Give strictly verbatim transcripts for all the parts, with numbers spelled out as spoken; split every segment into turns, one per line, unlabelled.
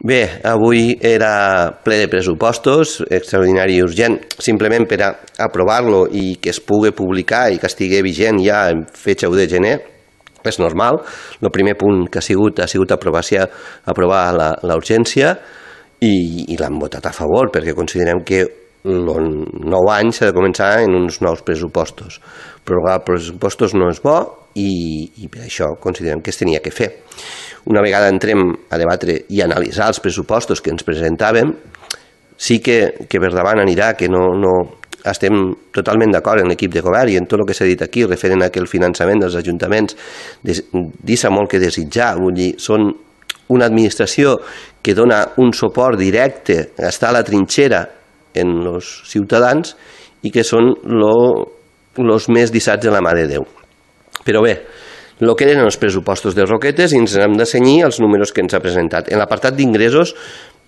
Bé, avui era ple de pressupostos, extraordinari i urgent, simplement per a aprovar-lo i que es pugui publicar i que estigui vigent ja en fetge u de gener. És normal. El primer punt que ha sigut ha sigut aprovar, aprovar la, la urgència i, i l'han votat a favor perquè considerem que el nou any s'ha de començar en uns nous pressupostos. Prorrogar pressupostos no és bo i, i per això considerem que es tenia que fer. Una vegada entrem a debatre i analitzar els pressupostos que ens presentàvem, sí que, que per davant anirà que no, no estem totalment d'acord en l'equip de govern i en tot el que s'ha dit aquí referent a que el finançament dels ajuntaments deixa molt que desitjar. Vull dir, són una administració que dona un suport directe, està a la trinxera en els ciutadans i que són els més dissats de la mà de Déu. Però bé, el que eren els pressupostos de Roquetes i ens hem de cenyir els números que ens ha presentat. En l'apartat d'ingressos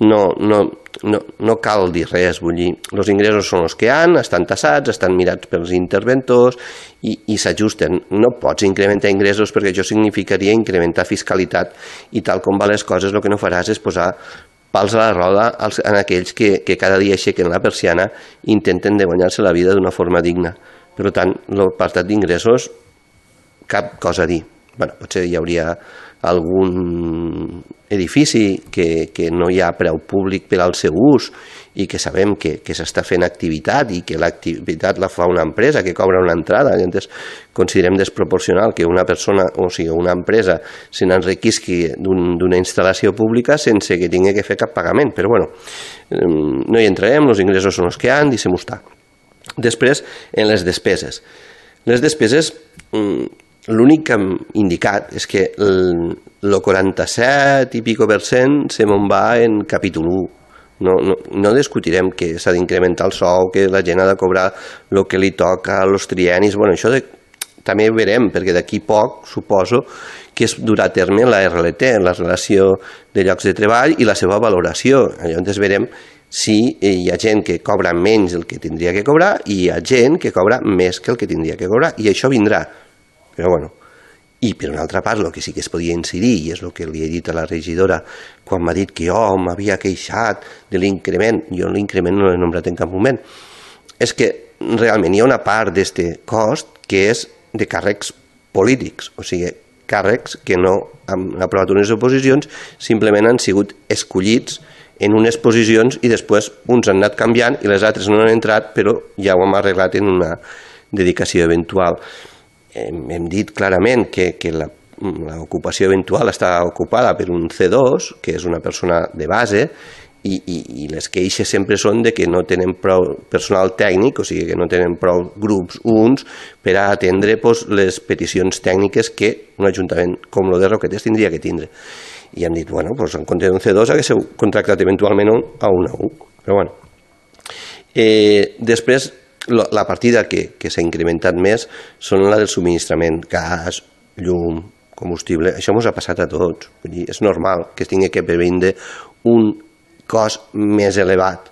no, no, no, no cal dir res, vull dir, els ingressos són els que hi ha, estan tassats, estan mirats pels interventors i, i s'ajusten. No pots incrementar ingressos perquè això significaria incrementar fiscalitat i tal com van les coses el que no faràs és posar pals a la roda en aquells que, que cada dia aixequen la persiana i intenten de guanyar-se la vida d'una forma digna. Per tant, l'apartat d'ingressos cap cosa a dir. Bueno, potser hi hauria algun edifici que, que no hi ha preu públic per al seu ús i que sabem que, que s'està fent activitat i que l'activitat la fa una empresa que cobra una entrada. Llavors, considerem desproporcional que una persona, o sigui, una empresa se n'enriquisqui d'una instal·lació pública sense que tingui que fer cap pagament. Però bueno, no hi entrarem, els ingressos són els que hi ha, deixem-ho estar. Després, en les despeses. Les despeses, l'únic que hem indicat és que el quaranta-set i pico per cent se me'n va en capítol u. No, no, no discutirem que s'ha d'incrementar el sou, que la gent ha de cobrar el que li toca, els triennis. Bueno, això de, també ho verem, perquè d'aquí poc suposo que es durà a terme la R L T, la relació de llocs de treball i la seva valoració. Llavors verem si hi ha gent que cobra menys del que tindria que cobrar i hi ha gent que cobra més que el que tindria que cobrar. I això vindrà. Però bueno, i per una altra part el que sí que es podia incidir, i és el que li he dit a la regidora quan m'ha dit que jo m'havia queixat de l'increment, jo l'increment no l'he nombrat en cap moment, és que realment hi ha una part d'aquest cost que és de càrrecs polítics, o sigui, càrrecs que no han aprovat unes oposicions, simplement han sigut escollits en unes posicions i després uns han anat canviant i les altres no han entrat, però ja ho hem arreglat en una dedicació eventual. Hem dit clarament que, que l'ocupació eventual està ocupada per un C dos, que és una persona de base, i, i, i les queixes sempre són de que no tenen prou personal tècnic, o sigui que no tenen prou grups uns per a atendre pues, les peticions tècniques que un ajuntament com el de Roquetes tindria que tindre. I hem dit, bueno, pues, en compte d'un C dos haguéssiu contractat eventualment a un A u. Però bueno. Eh, després, la partida que, que s'ha incrementat més són la del subministrament, gas, llum, combustible. Això ens ha passat a tots. Vull dir, és normal que es tingui que previndre un cost més elevat.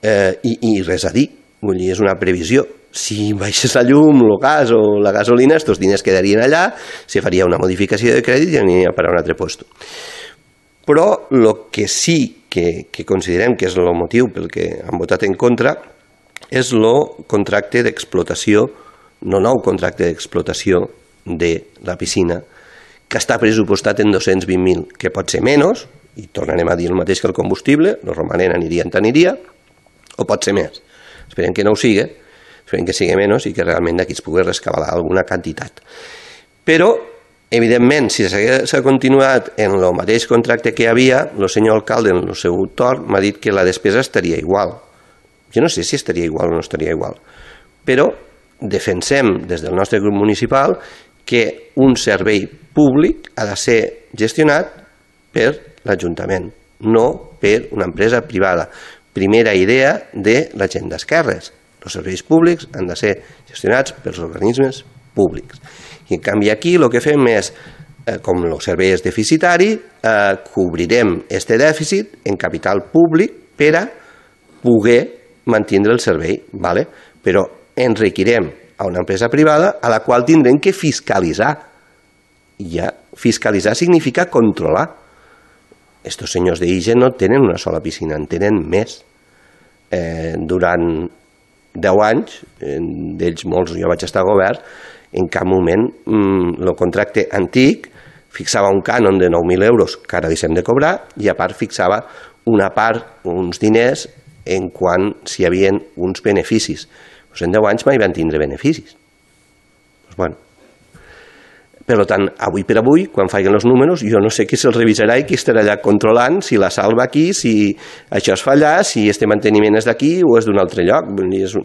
Eh, i, I res a dir. Vull dir, és una previsió. Si baixés la llum, el gas o la gasolina, aquests diners quedarien allà, se faria una modificació de crèdit i aniria a parar a un altre lloc. Però el que sí que, que considerem que és el motiu pel que han votat en contra és el contracte d'explotació, no nou contracte d'explotació de la piscina, que està pressupostat en dos-cents vint mil, que pot ser menys, i tornarem a dir el mateix que el combustible, el romanent aniria en aniria, o pot ser més. Esperem que no ho sigui, esperem que sigui menys i que realment d'aquí es pugui rescabalar alguna quantitat. Però, evidentment, si s'ha continuat en el mateix contracte que hi havia, el senyor alcalde en el seu torn m'ha dit que la despesa estaria igual. Jo no sé si estaria igual o no estaria igual, però defensem des del nostre grup municipal que un servei públic ha de ser gestionat per l'Ajuntament, no per una empresa privada. Primera idea de la gent d'esquerres. Els serveis públics han de ser gestionats pels organismes públics. I en canvi aquí el que fem és, com el servei és deficitari, cobrirem aquest dèficit en capital públic per a poder mantindre el servei, ¿vale? Però enriquirem a una empresa privada a la qual tindrem que fiscalitzar. I ja fiscalitzar significa controlar. estos senyors d'Ige no tenen una sola piscina, en tenen més. Eh, durant deu anys, d'ells molts jo vaig estar a govern, en cap moment el contracte antic fixava un cànon de nou mil euros que ara deixem de cobrar i a part fixava una part, uns diners, en quant si hi havia uns beneficis. Pues en deu anys mai van tindre beneficis. Pues bueno. Per tant, avui per avui, quan facin els números, jo no sé qui se'ls revisarà i qui estarà allà controlant si la sal va aquí, si això es fa allà, si este manteniment és d'aquí o és d'un altre lloc. És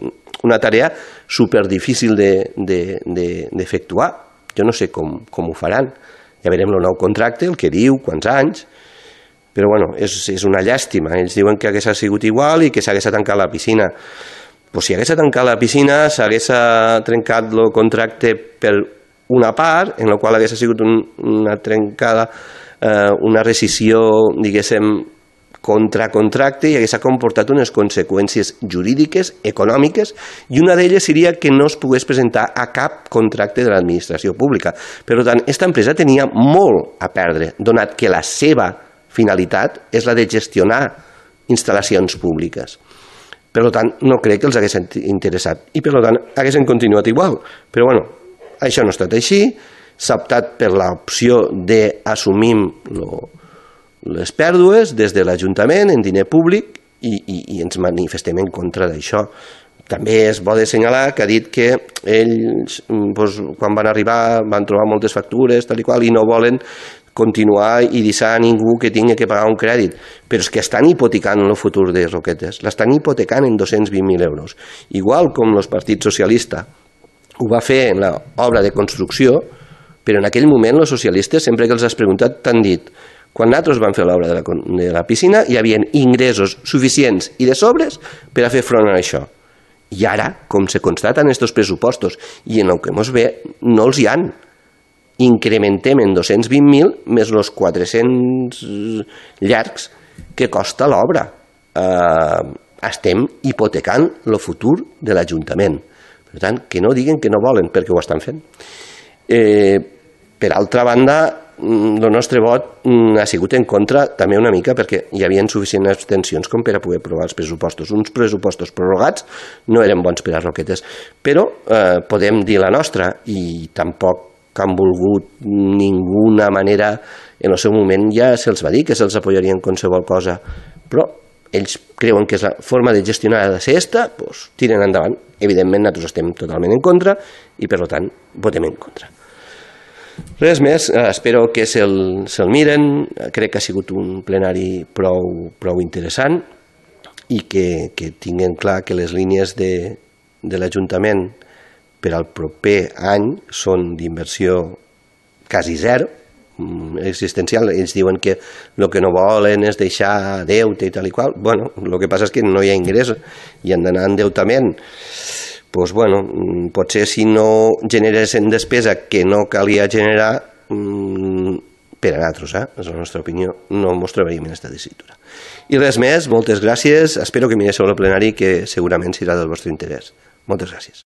una tarea superdifícil d'efectuar. Jo no sé com, com ho faran. Ja veurem el nou contracte, el que diu, quants anys, però bueno, és, és una llàstima. Ells diuen que hagués sigut igual i que s'hagués tancat la piscina. Pues si hagués tancat la piscina, s'hagués trencat el contracte per una part, en la qual hagués sigut un, una trencada, eh, una rescissió, diguéssim, contra contracte i hagués comportat unes conseqüències jurídiques, econòmiques, i una d'elles seria que no es pogués presentar a cap contracte de l'administració pública. Per tant, aquesta empresa tenia molt a perdre, donat que la seva finalitat és la de gestionar instal·lacions públiques. Per tant, no crec que els hagués interessat i per tant haguessin continuat igual. Però bueno, això no ha estat així, s'ha optat per l'opció d'assumir les pèrdues des de l'Ajuntament en diner públic i, i, i ens manifestem en contra d'això. També és bo de assenyalar que ha dit que ells, doncs, quan van arribar, van trobar moltes factures tal i qual i no volen continuar i deixar a ningú que tingui que pagar un crèdit. Però és que estan hipotecant el futur de Roquetes, l'estan hipotecant en dos-cents vint mil euros. Igual com el Partit Socialista ho va fer en l'obra de construcció, però en aquell moment els socialistes, sempre que els has preguntat, t'han dit: quan nosaltres vam fer l'obra de, la, de la piscina hi havia ingressos suficients i de sobres per a fer front a això. I ara, com se constata en aquests pressupostos i en el que ens ve, no els hi han. Incrementem en dos-cents vint mil més els quatre-cents llargs que costa l'obra. Eh, estem hipotecant el futur de l'Ajuntament. Per tant, que no diguen que no volen, perquè ho estan fent. Eh, per altra banda, el nostre vot ha sigut en contra també una mica perquè hi havia suficients abstencions com per a poder aprovar els pressupostos. Uns pressupostos prorrogats no eren bons per a Roquetes, però eh, podem dir la nostra i tampoc han volgut ninguna manera, en el seu moment ja se'ls va dir que se'ls apoyarien qualsevol cosa, però ells creuen que és la forma de gestionar de ser esta, doncs tiren endavant. Evidentment nosaltres estem totalment en contra i per tant votem en contra. Res més, espero que se'l se miren, crec que ha sigut un plenari prou, prou interessant i que, que tinguin clar que les línies de, de l'Ajuntament per al proper any són d'inversió quasi zero, existencial. Ells diuen que el que no volen és deixar deute i tal i qual. Bueno, el que passa és que no hi ha ingrés i han d'anar en endeutament. Doncs, bueno, potser si no generessin despesa que no calia generar, per a nosaltres, eh? És la nostra opinió, no ens trobaríem en aquesta tessitura. I res més, moltes gràcies, espero que mireu el plenari que segurament serà del vostre interès. Moltes gràcies.